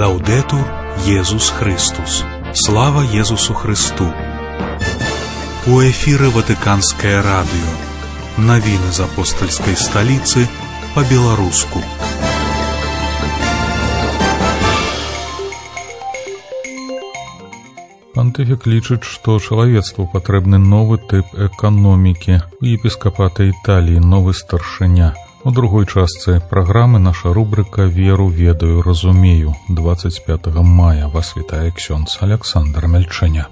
Лаудетур Єсус Христос. Слава Єсусу Христу. У эфире Ватиканское радио. Новины из апостольской столицы по-белорусски. Пантыфік лічыць, што чалавецтву патрэбны новы тып эканомікі. У епіскапата Італіі новы старшыня. У другой частцы праграмы наша рубрика «Веру, ведаю, разумею». 25 мая вас вітае ксёндз Александр Мельчэня.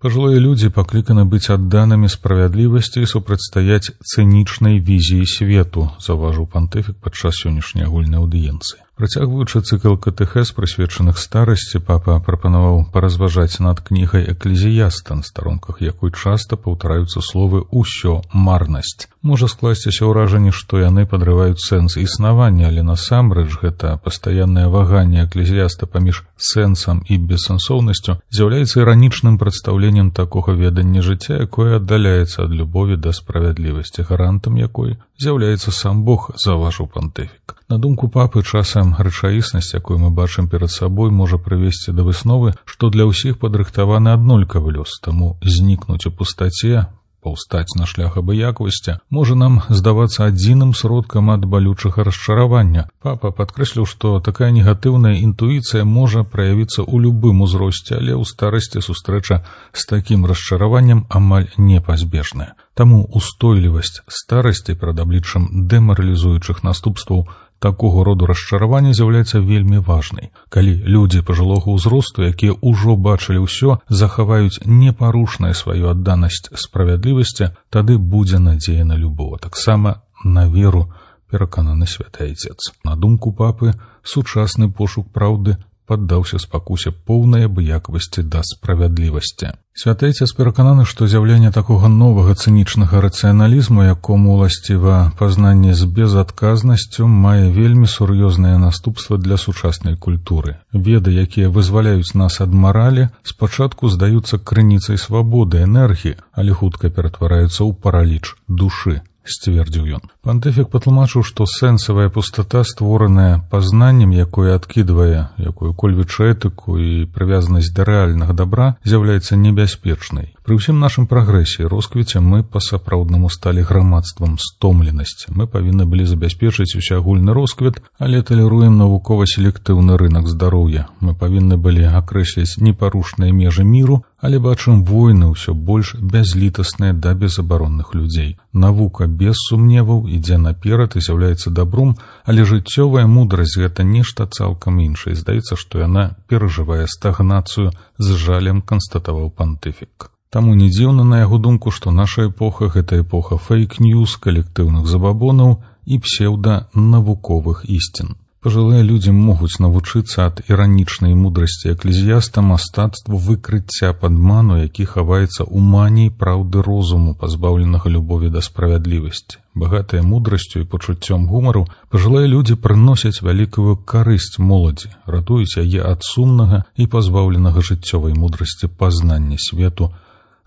Пожилые люди покликаны быть отданными справядлівасці і супрацьстаяць цынічнай візіі свету, заўважыў пантыфік падчас сённяшняй агульнай аўдыенцыі. Працягваючы цыкл катэхез, прысвечаных старасці, папа прапанаваў паразважаць над кнігай «Экклезіяста», на старонках якой часта паўтараюцца словы «усё марнасць». Можа скласціся ўражанне, што яны падрываюць сэнс існавання, але насамрэч гэта пастаяннае ваганне экклезіяста паміж сэнсам і бессэнсоўнасцю з'яўляецца іранічным прадстаўленнем такога ведання жыцця, якое аддаляецца ад любові да справядлівасці, гарантам якой з'яўляецца сам Бог, заўважыў пантыфік. На думку папы, часам рэчаіснасць, якую мы бачым перад сабой, можа прывесці да высновы, што для ўсіх падрыхтаваны аднолькавы лёс, таму знікнуць у пустаце, паўстаць на шлях абыякавасці можа нам здавацца адзіным сродкам ад балючага расчаравання. Папа падкрэсліў, што такая негатыўная інтуіцыя можа праявіцца ў любым узросце, але ў старасці сустрэча з такім расчараваннем амаль непазбежная. Таму устойлівасць старасці перад абліччам дэмаралізуючых наступстваў такого роду расчаравання з'яўляецца вельмі важнай. Калі людзі пажылога ўзросту, якія ўжо бачылі ўсё, захаваюць непарушнае сваю адданасць справядлівасці, тады будзе надзея на любоў, таксама на веру, перакананы святы Айцец. На думку папы, сучасны пошук праўды паддаўся спакусе поўнай абыякавасці да справядлівасці. Святы Айцец перакананы, што з'яўленне такога новага цынічнага рацыяналізму, якому уласціва пазнанне з безадказнасцю, мае вельмі сур'ёзныя наступствы для сучаснай культуры. Веды, якія вызваляюць нас ад маралі, спачатку здаюцца крыніцай свабоды, энергіі, але хутка ператвараюцца ў параліч душы, сцвердзіў ён. Пантыфік патлумачыў, што сэнсавая пустата, створаная пазнаннем, якое адкідвае якую-кольвіч этыку і прывязанасць да рэальнага дабра, з'яўляецца небяспечнай. Пры ўсім нашым прагрэсе і росквіце мы па-сапраўднаму сталі грамадствам стомленасці. Мы павінны былі забяспечыць усеагульны росквіт, але талеруем навукова-селектыўны рынак здароўя. Мы павінны былі акрэсліць непарушныя межы міру, але бачым войны ўсё больш бязлітасныя да безабаронных людзей. Навука без сумневаў ідзе наперад і з'яўляецца добром, але жыццёвая мудрасць — гэта нешта цалкам іншае. Здаецца, што яна перажывае стагнацыю, з жалем канстатаваў пантыфік. Таму не дзіўна, на яго думку, што наша эпоха — гэта эпоха фейк-ньюс, калектыўных забабонаў і псеўданавуковых ісцін. Пажылыя людзі могуць навучыцца ад іранічнай мудрасці экклезіяста мастацтву выкрыцця падману, які хаваецца ў маніі праўды розуму, пазбаўленага любові да справядлівасці. Багатыя мудрасцю і пачуццём гумару, пажылыя людзі прыносяць вялікую карысць моладзі, ратуюць яе ад сумнага і пазбаўленага жыццёвай мудрасці пазнання свету,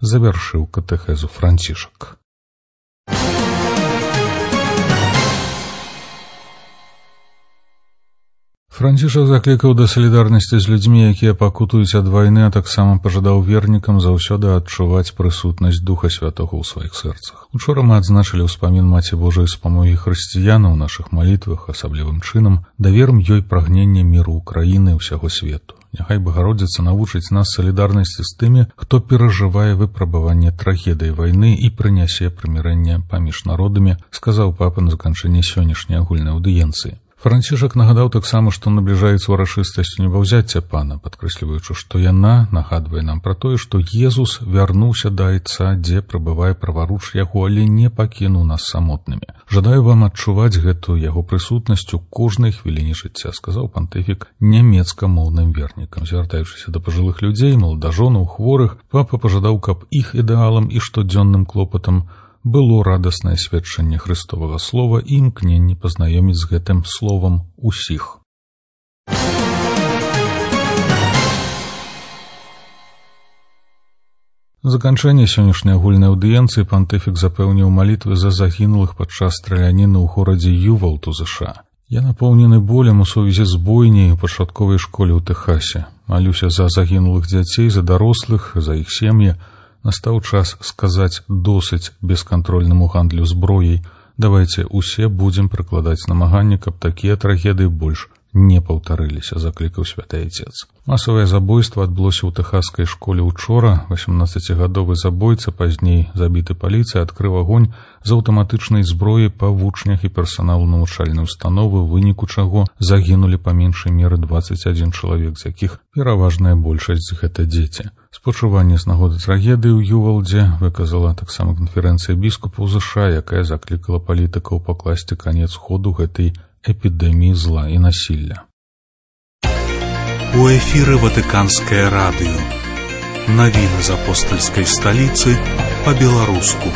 завяршыў катэхезу Францішак. Францішак заклікаў да салідарнасці з людзьмі, якія пакутуюць ад вайны, а таксама пажадаў вернікам заўсёды адчуваць прысутнасць Духа Святога ў сваіх сэрцах. Учора мы адзначылі ўспамін Маці Божай спамогі хрысціянаў у нашых малітвах, асаблівым чынам даверым ёй прагнення міру ўкраіны і ўсяго свету. Няхай Багародзіца навучыць нас салідарнасці з тымі, хто перажывае выпрабаванне трагедыі вайны і прынясе прымірэнне паміж народамі, сказаў папа на заканчэнні сённяшняй агульнай аўдыенцыі. Францішак нагадаў таксама, што набліжаецца ўрачыстасць небаўзяцця пана, падкрэсліваючы, што яна нагадвае нам пра тое, што Езус вярнуўся да Айца, дзе прабывае праваруч яго, але не пакінуў нас самотнымі. Жадаю вам адчуваць гэтую яго прысутнасць у кожнай хвіліне жыцця, сказаў пантыфік нямецкамоўным вернікам. Звяртаючыся да пажылых людзей, маладажонаў, хворых, папа пажадаў, каб іх ідэалам і штодзённым клопатам было радаснае сведчанне Христовага слова і імкненне пазнаёміць з гэтым словам усіх. Заканчэнне сённяшняй агульнай аўдыенцыі пантыфік запэўніў малітвы за загінулых падчас страляніны ў горадзе Ювалд у ЗША. Я напоўнены болем у сувязі з бойняй у пачатковай школе ў Тэхасе. Малюся за загінулых дзяцей, за дарослых, за іх сем'і. Настаў час сказаць досыць бескантрольнаму гандлю зброяй. Давайце усе будзем прыкладаць намаганні, каб такія трагедыі больш не паўтарыліся, заклікаў святы Отец. Масавае забойства адбылося ў тэхаскай школе учора. 18-гадовы забойца, пазней забіты паліцыяй, адкрыў агонь з аўтаматычнай зброі па вучнях і персаналу навучальнай установы, у выніку чаго загінулі па меншай меры 21 чалавек, з якіх пераважная большасць гэта дзеці. Спачуванне з нагоды трагедыі ў Ювалдзе выказала таксама канферэнцыя біскупаў ЗША, якая заклікала палітыкаў пакласці канец ходу гэтай эпідэміі зла і насілля. У эфіры Ватыканскае радыё. Навіны з апостальскай сталіцы па-беларуску.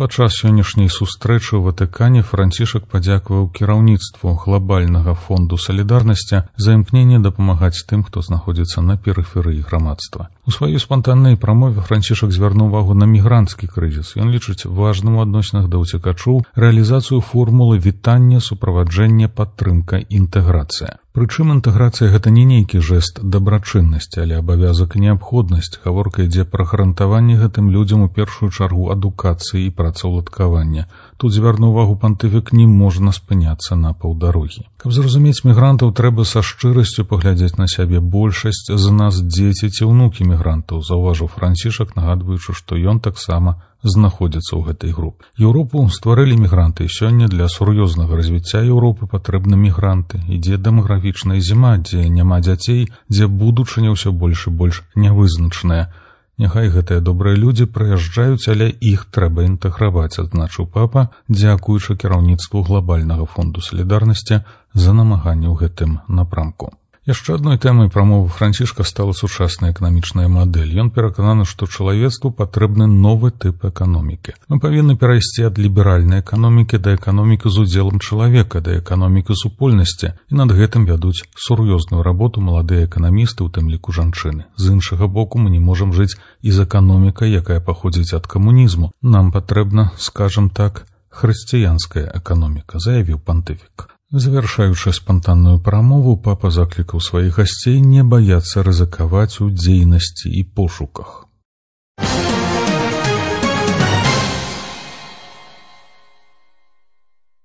Падчас сённяшняй сустрэчы ў Ватыкане Францішак падзякаваў кіраўніцтву глобальнага фонду салідарнасці за імкненне дапамагаць тым, хто знаходзіцца на перыферыі грамадства. У сваёй спантаннай прамове Францішак звярнуў увагу на мігранцкі крызіс. Ён лічыць важным у адносінах да ўцекачоў рэалізацыю формулы вітання, суправаджэння, падтрымка, інтэграцыя. Прычым інтэграцыя гэта не нейкі жэст дабрачыннасці, але абавязак і неабходнасць. Гаворка ідзе пра гарантаванне гэтым людзям у першую чаргу адукацыі і працаўладкавання. Тут звярнуў увагу пантыфік, не можна спыняцца на паўдарогі. Каб зразумець мігрантаў, трэба са шчырасцю паглядзець на сябе. Большасць з нас дзеці ці ўнукі мігрантаў, заўважыў Францішак, нагадваючы, што ён таксама знаходзіцца ў гэтай групе. Еўропу стварылі мігранты, і сёння для сур'ёзнага развіцця Еўропы патрэбны мігранты. Ідзе дэмаграфічная зіма, дзе няма дзяцей, дзе будучыня ўсё больш і больш нявызначаная. Няхай гэтыя добрыя людзі прыязджаюць, але іх трэба інтэграваць, адзначыў папа, дзякуючы кіраўніцтву глобальнага фонду салідарнасці за намаганне ў гэтым напрамку. Яшчэ адной тэмай прамовы Францішка стала сучасная эканамічная мадэль. Ён перакананы, што чалавецтву патрэбны новы тып эканомікі. Мы павінны перайсці ад ліберальнай эканомікі да эканомікі з удзелам чалавека, да эканомікі супольнасці, і над гэтым вядуць сур'ёзную работу маладыя эканамісты, у тым ліку жанчыны. З іншага боку, мы не можам жыць і з эканомікай, якая паходзіць ад камунізму. Нам патрэбна, скажам так, хрысціянская эканоміка, заявіў пантыфік. Завяршаючы спантанную прамову, папа заклікаў сваіх гасцей не баяцца рызыкаваць у дзейнасці і пошуках.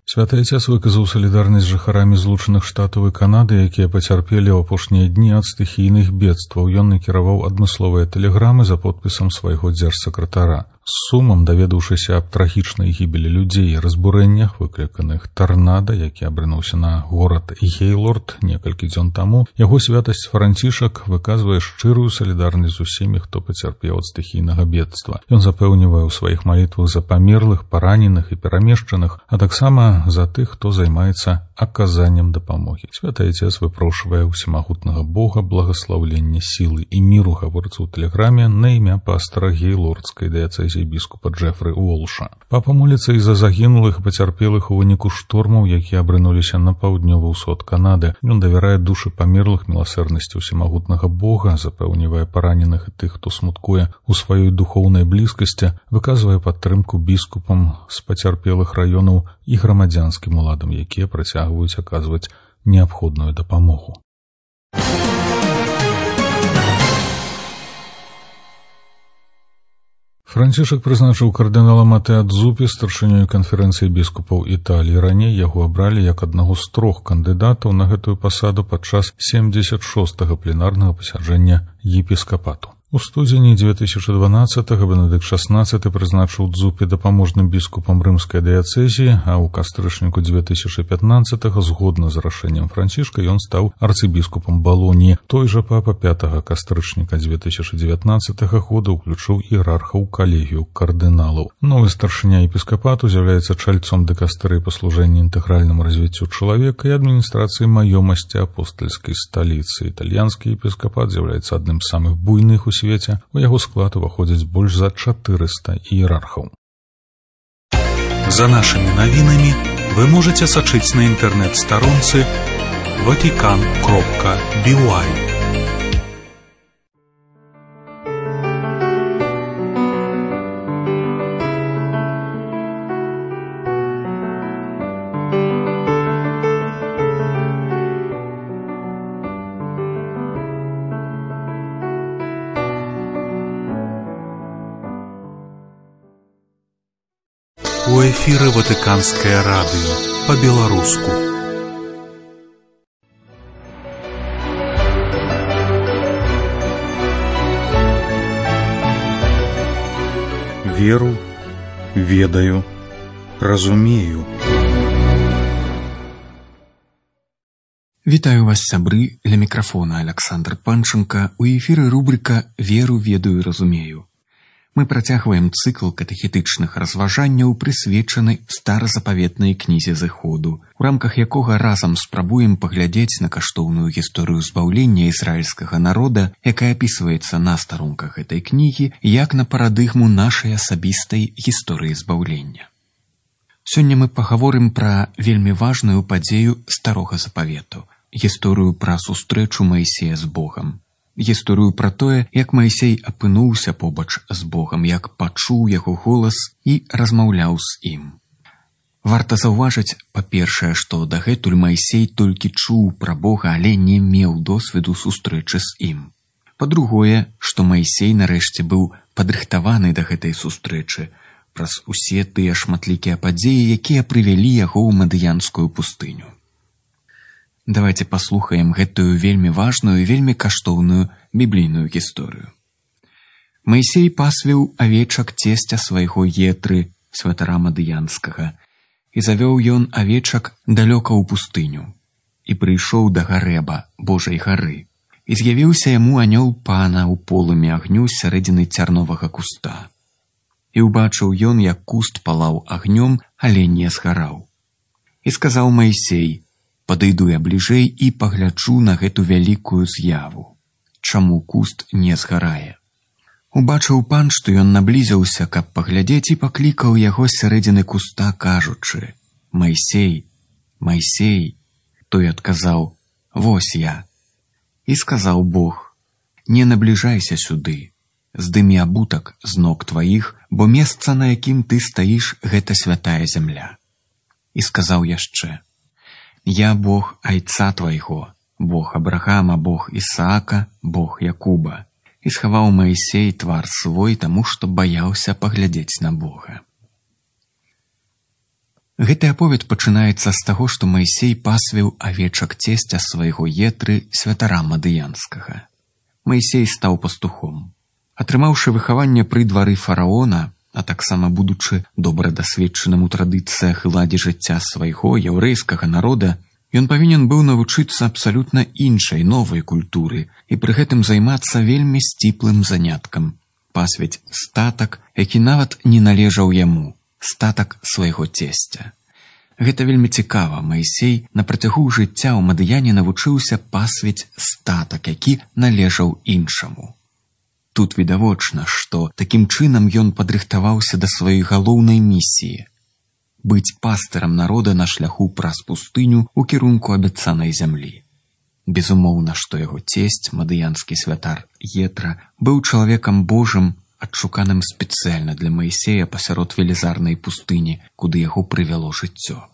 Святы Отец выказаў салідарнасць з жыхарамі Злучаных Штатаў і Канады, якія пацярпелі ў апошнія дні ад стыхійных бедстваў. Ён накіраваў адмысловыя тэлеграмы за подпісам свайго дзяржсакратара. З сумам, даведаўшыся аб трагічнай гібелі людзей і разбурэннях, выкліканых тарнада, які абрынуўся на горад Гейлорд некалькі дзён таму, яго святасць Францішак выказвае шчырую салідарнасць з усімі, хто пацярпеў ад стыхійнага бедства. Ён запэўнівае ў сваіх малітвах за памерлых, параненых і перамешчаных, а таксама за тых, хто займаецца аказаннем дапамогі. Святы Отец выпрошвае ўсемагутнага Бога благаслаўлення, сілы і міру, гаворыцца ў тэлеграме на імя пастара Гейлордскай дыяцэзіі біскупа Джефры Уолша. Папа моліцца і за загінулых і пацярпелых у выніку штормаў, якія абрынуліся на паўднёвы ўсход Канады. Ён давярае душы памерлых міласэрнасці ўсемагутнага Бога, запэўнівае параненых і тых, хто смуткуе у сваёй духоўнай блізкасці, выказвае падтрымку біскупам з пацярпелых раёнаў і грамадзянскім уладам, якія працягваюць аказваць неабходную дапамогу. Францішак прызначыў кардынала Матэа Дзупі старшынёй канферэнцыі біскупаў Італіі. Раней яго абралі як аднаго з 3 кандыдатаў на гэтую пасаду падчас 76-го пленарнага пасяджэння епіскапату. У студзені 2012-го Бенедыкт XVI прызначыў Дзупі дапаможным біскупам рымскай дыяцэзіі, а ў кастрычніку 2015-го, згодна з рашэннем Францішка, ён стаў арцыбіскупам Балоніі. Той жа папа 5 кастрычніка 2019 года ўключыў іерарха ў калегію кардыналаў. Новы старшыня епіскапату з'яўляецца чальцом дыкастэрыі па служэнні інтэгральнаму развіццю чалавека і адміністрацыі маёмасці апостальскай сталіцы. Італьянскі епіскапат з'яўляецца адным з самых буйных у свеце, у яго склад уваходзіць больш за 400 іерархаў. За нашымі навінамі вы можаце сачыць на інтэрнэт-старонцы vatican.by. У эфіры Ватыканскае радыё па-беларуску. Веру, ведаю, разумею. Вітаю вас, сябры, ля мікрафона Александр Панченко, у эфіры рубрика «Веру, ведаю, разумею». Мы працягваем цыкл катэхетычных разважанняў, прысвечаны старазапаветнай кнізе Зыходу, у рамках якога разам спрабуем паглядзець на каштоўную гісторыю збаўлення ізраільскага народа, якая апісваецца на старонках гэтай кнігі, як на парадыгму нашай асабістай гісторыі збаўлення. Сёння мы пагаворым пра вельмі важную падзею старога запавету, гісторыю пра сустрэчу Маісея з Богам. Гісторыю пра тое, як Маісей апынуўся побач з Богам, як пачуў яго голас і размаўляў з ім. Варта заўважыць, па-першае, што дагэтуль Маісей толькі чуў пра Бога, але не меў досведу сустрэчы з ім. Па-другое, што Маісей нарэшце быў падрыхтаваны да гэтай сустрэчы праз усе тыя шматлікія падзеі, якія прывялі яго ў Мадыянскую пустыню. Давайте паслухаем гэтую вельмі важную і вельмі каштоўную біблійную гісторыю. Маісей пасвіў авечак цесця свайго Етры, святара Мадыянскага, і завёў ён авечак далёка ў пустыню, і прыйшоў да Гарэба, Божай гары, і з'явіўся яму анёл Пана ў полымі агню з сярэдзіны цярновага куста. І ўбачыў ён, як куст палаў агнём, але не згараў. І сказаў Маісей: «Падыйду я бліжэй і пагляджу на гэту вялікую з'яву. Чаму куст не згарае?» Убачыў пан, што ён наблізіўся, каб паглядзець, і паклікаў яго з сярэдзіны куста, кажучы: «Маісей, Маісей!» Той адказаў: «Вось я». І сказаў Бог: «Не набліжайся сюды, здымі абутак з ног тваіх, бо месца, на якім ты стаіш, гэта святая зямля». І сказаў яшчэ: «Я Бог айца твайго, Бог Абрахама, Бог Ісаака, Бог Якуба». І схаваў Маісей твар свой, таму што баяўся паглядзець на Бога. Гэты аповед пачынаецца з таго, што Маісей пасвіў авечак цесця свайго Етры, святара Мадыянскага. Маісей стаў пастухом. Атрымаўшы выхаванне пры двары фараона, а таксама будучы добра дасведчаным у традыцыях і ладзе жыцця свайго яўрэйскага народа, ён павінен быў навучыцца абсалютна іншай, новай культуры і пры гэтым займацца вельмі сціплым заняткам – пасвіць статак, які нават не належаў яму, статак свайго цесця. Гэта вельмі цікава. Маісей на працягу жыцця ў Мадыяне навучыўся пасвіць статак, які належаў іншаму. Тут відавочна, што такім чынам ён падрыхтаваўся да сваёй галоўнай місіі – быць пастырам народа на шляху праз пустыню ў кірунку абяцанай зямлі. Безумоўна, што яго цесць, мадыянскі святар Етра, быў чалавекам Божым, адшуканым спецыяльна для Маісея пасярод велізарнай пустыні, куды яго прывяло жыццё.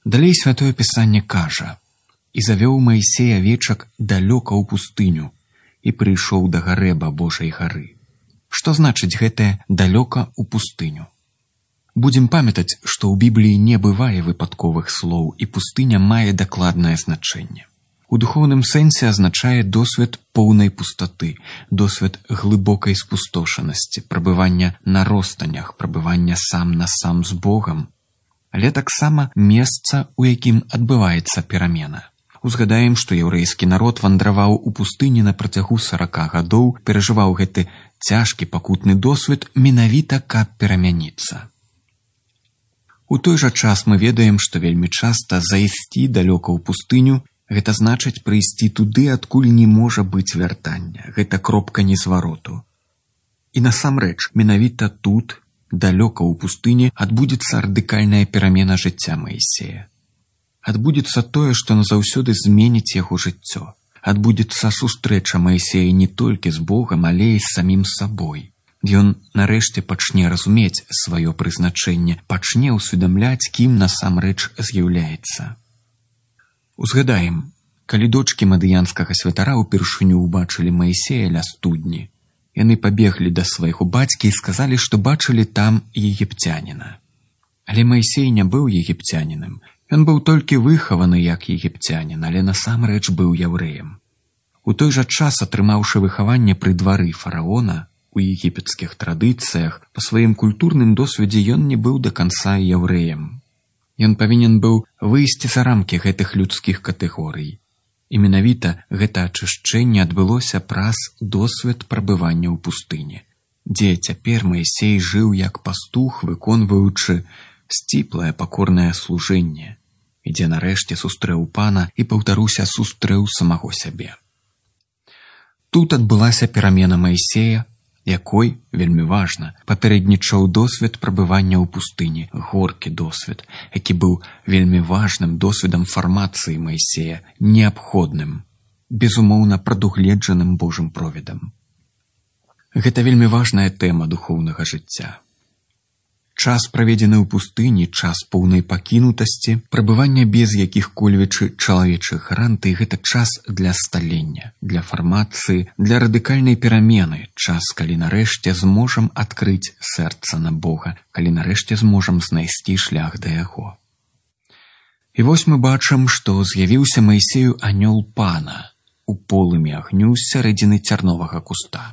Далей Святое Пісанне кажа: «І завёў Маісей авечак далёка ў пустыню, і прыйшоў да Гарэба, Божай гары». Што значыць гэтае «далёка ў пустыню»? Будзем памятаць, што ў Бібліі не бывае выпадковых слоў, і пустыня мае дакладнае значэнне. У духоўным сэнсе азначае досвед поўнай пустаты, досвед глыбокай спустошанасці, прабывання на ростанях, прабывання сам на сам з Богам, але таксама месца, у якім адбываецца перамена. Узгадаем, што яўрэйскі народ вандраваў у пустыні на працягу 40 гадоў, перажываў гэты цяжкі пакутны досвед менавіта каб перамяніцца. У той жа час мы ведаем, што вельмі часта зайсці далёка ў пустыню – гэта значыць прыйсці туды, адкуль не можа быць вяртання. Гэта кропка незвароту. І насамрэч, менавіта тут, далёка ў пустыні, адбудзецца радыкальная перамена жыцця Маісея. Адбудзецца тое, што назаўсёды зменіць яго жыццё. Адбудзецца сустрэча Маісея не толькі з Богам, але і з самім сабой. Ён нарэшце пачне разумець сваё прызначэнне, пачне ўсведамляць, кім насамрэч з'яўляецца. Узгадаем, калі дочкі мадыянскага святара ўпершыню ўбачылі Маісея ля студні, яны пабеглі да свайго бацькі і сказалі, што бачылі там егіпцяніна. Але Майсей не быў егіпцянінам. Ён быў толькі выхаваны як егіпцянін, але насамрэч быў яўрэем. У той жа час, атрымаўшы выхаванне пры двары фараона, у егіпецкіх традыцыях, па сваім культурным досведзе ён не быў да канца яўрэем. Ён павінен быў выйсці за рамкі гэтых людскіх катэгорый. І менавіта гэта ачышчэнне адбылося праз досвед прабывання ў пустыні, дзе цяпер Майсей жыў як пастух, выконваючы сціплае пакорнае служэнне, і дзе нарэшце сустрэў пана і, паўтаруся, сустрэў самого сябе. Тут адбылася перамена Майсея, якой, вельмі важна, папярэднічаў досвед прабывання ў пустыні, горкі досвед, які быў вельмі важным досведам фармацыі Майсея, неабходным, безумоўна прадугледжаным Божым провідам. Гэта вельмі важная тэма духоўнага жыцця. Час, праведзены ў пустыні, час поўнай пакінутасці, прабывання без якіх-кольвечы чалавечых гарантый, гэта час для сталення, для фармацыі, для радыкальнай перамены, час, калі нарэшце зможам адкрыць сэрца на Бога, калі нарэшце зможам знайсці шлях да яго. І вось мы бачым, што з'явіўся Майсею анёл пана у полымі агню з сярэдзіны цярновага куста.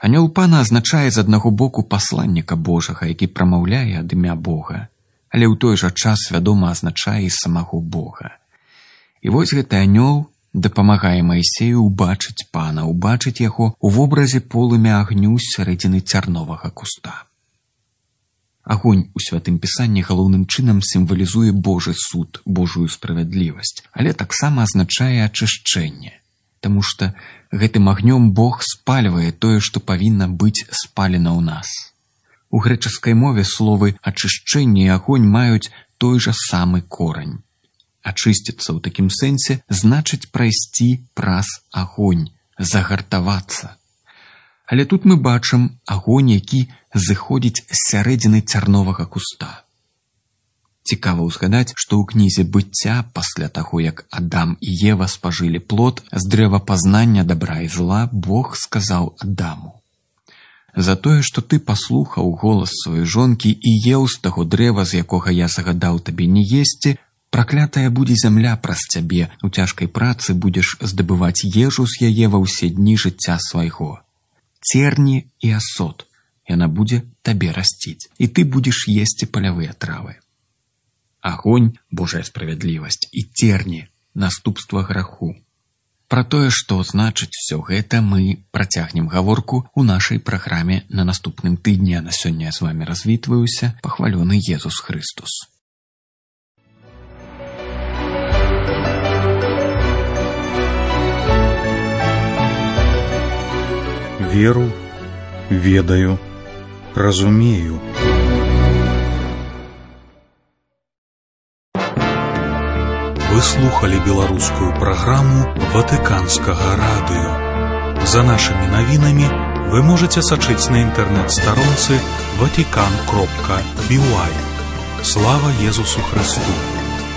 Анёл пана азначае з аднаго боку пасланніка Божага, які прамаўляе ад імя Бога, але ў той жа час свядома азначае і самого Бога. І вось гэты анёл дапамагае Майсею ўбачыць пана, ўбачыць яго ў вобразе полымя агню з сярэдзіны цярновага куста. Агонь у Святым Пісанні галоўным чынам сімвалізуе Божы суд, Божую справядлівасць, але таксама азначае ачышчэнне, таму што гэтым агнём Бог спальвае тое, што павінна быць спалена ў нас. У грэчаскай мове словы «ачышчэнне» і «агонь» маюць той жа самы корань. Ачысціцца ў такім сэнсе значыць прайсці праз агонь, загартавацца. Але тут мы бачым агонь, які зыходзіць з сярэдзіны цярновага куста. Цікава ўзгадаць, што ў кнізе быцця, пасля таго, як Адам і Ева спажылі плод з дрэва пазнання добра і зла, Бог сказаў Адаму: «За тое, што ты паслухаў голас сваёй жонкі і еў з таго дрэва, з якога я загадаў табе не есці, праклятая будзе зямля праз цябе, у цяжкай працы будзеш здабываць ежу з яе ва ўсе дні жыцця свайго. Церні і асот яна будзе табе расціць, і ты будзеш есці палявыя травы». Агонь – Божая справядлівасць, і церні – наступства граху. Пра тое, што значыць усё гэта, мы працягнем гаворку ў нашай праграме на наступным тыдні, а на сёння я з вамі развітваюся. Пахвалёны Езус Хрыстус. Веру, ведаю, разумею. Вы слухали беларускую праграму Ватыканскага радыё. За нашымі навінамі вы можаце сачыць на інтэрнэт-старонцы vatican.by. Слава Езусу Христу!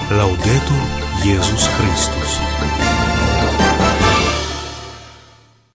Лаўдэтур Езус Христус!